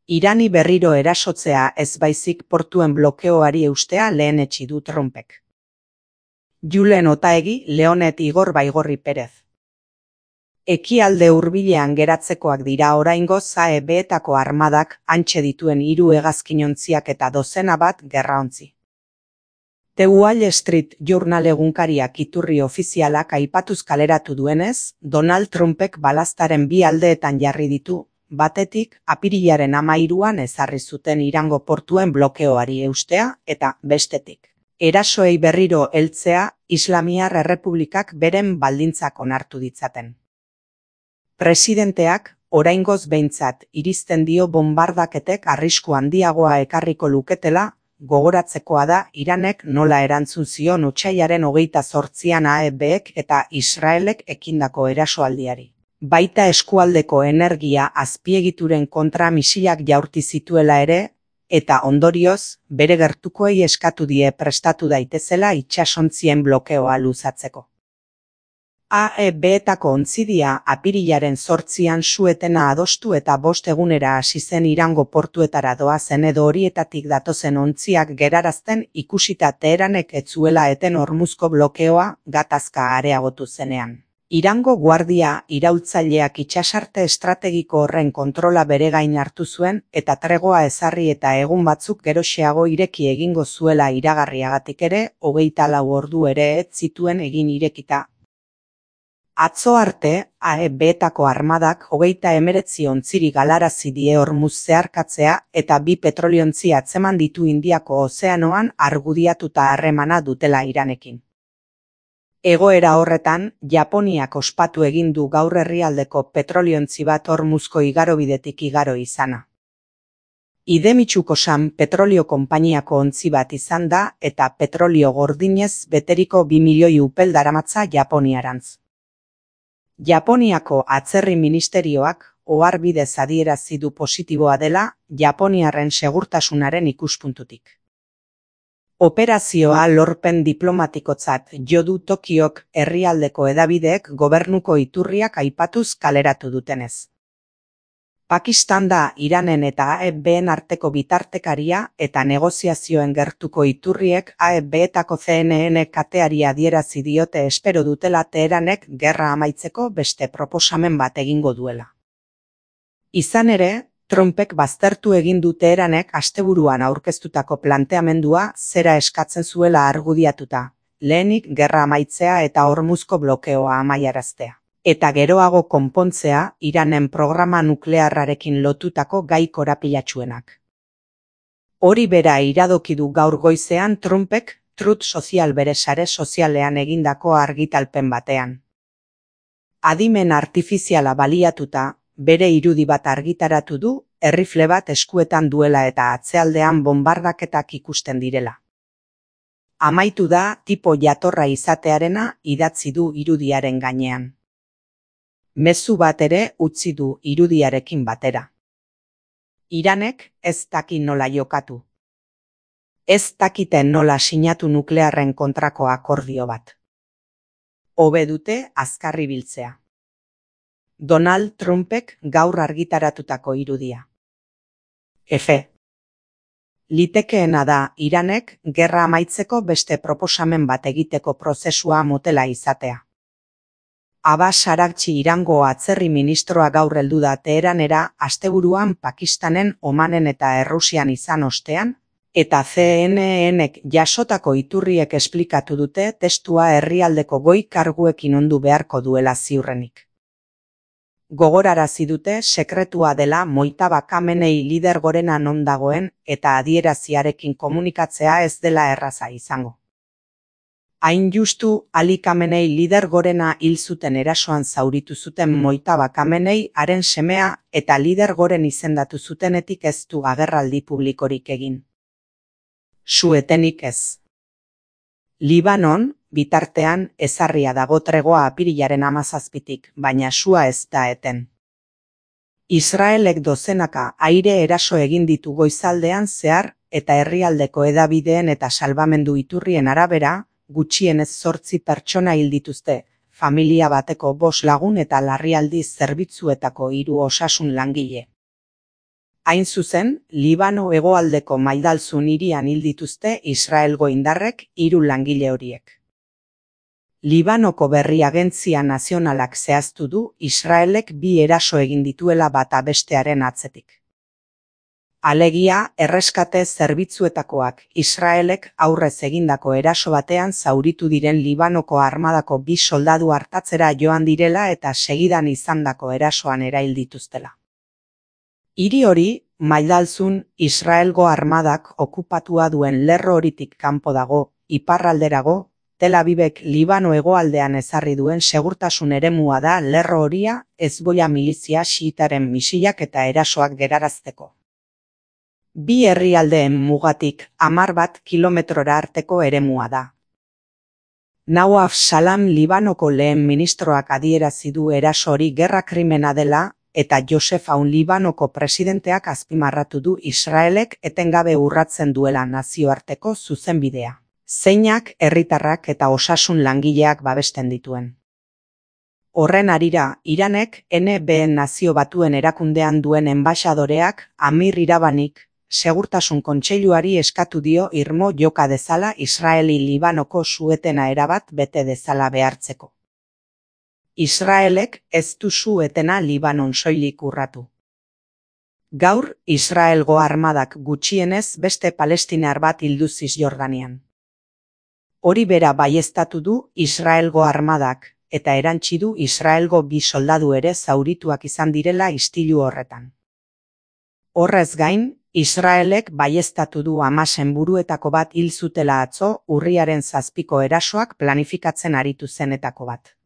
Irani berriro erasotzea ez baizik portuen blokeoari eustea lehenetsi du Trumpek. Julen Otaegi, Leonet Igor Baigorri Perez. Ekialde hurbilean geratzekoak dira oraingoz AEB-etako armadak hantxe dituen 3 hegazkinontziak eta dozena bat gerraontzi. The Wall Street Journal egunkariak iturri ofizialak aipatuz kaleratu duenez, Donald Trumpek balaztaren 2 aldeetan jarri ditu, batetik, apirilaren 13an ezarri zuten Irango portuen blokeoari eustea eta bestetik. Erasoei berriro heltzea Islamiar Errepublikak beren baldintzak onartu ditzaten. Presidenteak, oraingoz behintzat iristen dio bonbardaketek arrisku handiagoa ekarriko luketela, gogoratzekoa da Iranek nola erantzun zion otsailaren 28an AEB-ek eta Israelek ekindako erasoaldiari. Baita eskualdeko energia azpiegituren kontra misilak jaurti zituela ere, eta ondorioz, bere gertukoei eskatu die prestatu daitezela itsasontzien blokeoa luzatzeko. AEB-etako ontzidia apirilaren 8an su-etena adostu eta 5 egunera hasi zen Irango portuetara doazen edo horietatik datozen ontziak gerarazten ikusita Teheranek ez zuela eten Hormuzko blokeoa gatazka areagotu zenean. Irango guardia iraultzaileak itsasarte estrategiko horren kontrola bere gain hartu zuen eta tregoa ezarri eta egun batzuk geroxeago ireki egingo zuela iragarriagatik ere 24 ordu ere ez zituen egin irekita. Atzo arte, AEB-etako armadak 39 ontziri galarazi die Hormuz zeharkatzea eta 2 petroliontzi atzeman ditu Indiako ozeanoan argudiatuta harremana dutela Iranekin. Egoera horretan, Japoniak ospatu egin du gaur herrialdeko petroliontzi bat Hormuzko igarobidetik igaro izana. Idemitsuko-san petrolio konpainiako ontzi bat izan da eta petrolio gordinez beteriko 2 milioi upel daramatza Japoniarantz. Japoniako atzerri ministerioak oharbidez adierazi du positiboa dela Japoniarren segurtasunaren ikuspuntutik. Operazioa lorpen diplomatikotzat jo du Tokiok herrialdeko hedabideek gobernuko iturriak aipatuz kaleratu dutenez. Pakistan da Iranen eta AEB-en arteko bitartekaria eta negoziazioen gertuko iturriek AEB-etako CNN kateari adierazi diote espero dutela Teheranek gerra amaitzeko beste proposamen bat egingo duela. Izan ere, Trumpek baztertu egin du Teheranek asteburuan aurkeztutako planteamendua zera eskatzen zuela argudiatuta, lehenik gerra amaitzea eta Hormuzko blokeoa amaiaraztea. Eta geroago konpontzea Iranen programa nuklearrarekin lotutako gai korapilatsuenak. Hori bera iradoki du gaur goizean Trumpek Truth Social bere sare sozialean egindako argitalpen batean. Adimen artifiziala baliatuta, bere irudi bat argitaratu du, errifle bat eskuetan duela eta atzealdean bonbardaketak ikusten direla. Amaitu da tipo jatorra izatearena idatzi du irudiaren gainean. Mezu bat ere utzi du irudiarekin batera. Iranek ez daki nola jokatu. Ez dakiten nola sinatu nuklearren kontrako akordio bat. Hobe dute azkar ibiltzea. Donald Trumpek gaur argitaratutako irudia. Efe. Litekeena da Iranek gerra amaitzeko beste proposamen bat egiteko prozesua motela izatea. Abbas Araghchi Irango atzerri ministroa gaur heldu da Teheranera asteburuan Pakistanen, Omanen eta Errusian izan ostean, eta CNN-ek jasotako iturriek esplikatu dute testua herrialdeko goi karguekin ondu beharko duela ziurrenik. Gogorarazi dute sekretua dela Mojtaba Khamenei lider gorena non dagoen eta adieraziarekin komunikatzea ez dela erraza izango. Hain justu, Ali Khamenei lider gorena hil zuten erasoan zauritu zuten Mojtaba Khamenei haren semea eta lider goren izendatu zutenetik ez du agerraldi publikorik egin. Su-etenik ez. Libanon, bitartean, ezarria dago tregoa apirilaren 17tik, baina sua ez da eten. Israelek dozenaka aire eraso egin ditu goizaldean zehar eta herrialdeko hedabideen eta salbamendu iturrien arabera, gutxienez 8 pertsona hil dituzte, familia bateko 5 lagun eta larrialdi zerbitzuetako 3 osasun langile. Hain zuzen, Libano hegoaldeko Maidalzun hirian hil dituzte Israelgo indarrek 3 langile horiek. Libanoko Berri Agentzia Nazionalak zehaztu du Israelek 2 eraso egin dituela bata bestearen atzetik. Alegia, erreskate zerbitzuetakoak Israelek aurrez egindako eraso batean zauritu diren Libanoko armadako 2 soldadu artatzera joan direla eta segidan izandako erasoan erail dituztela. Hiri hori, Maidalzun, Israelgo armadak okupatua duen lerro horitik kanpo dago, iparralderago, Tel Avivek Libano hegoaldean ezarri duen segurtasun eremua da lerro horia Hezbollah milizia xiitaren misilak eta erasoak gerarazteko. 2 herrialdeen mugatik 11 kilometrora arteko eremua da. Nawaf Salam Libanoko lehen ministroak adierazi du eraso hori gerra krimena dela eta Joseph Aoun Libanoko presidenteak azpimarratu du Israelek etengabe urratzen duela nazioarteko zuzenbidea, zeinak herritarrak eta osasun langileak babesten dituen. Horren harira, Iranek NBN Nazio Batuen erakundean duen enbaxadoreak Amir Irabanik Segurtasun Kontseiluari eskatu dio irmo joka dezala Israeli-Libanoko su-etena erabat bete dezala behartzeko. Israelek ez du su-etena Libanon soilik urratu. Gaur, Israelgo armadak gutxienez beste palestinar bat hildu Zisjordanian. Hori bera baieztatu du Israelgo armadak, eta erantsi du Israelgo 2 soldadu ere zaurituak izan direla istilu horretan. Horrez gain, Israelek baieztatu du Hamasen buruetako bat hil zutela atzo urriaren 7ko erasoak planifikatzen aritu zenetako bat.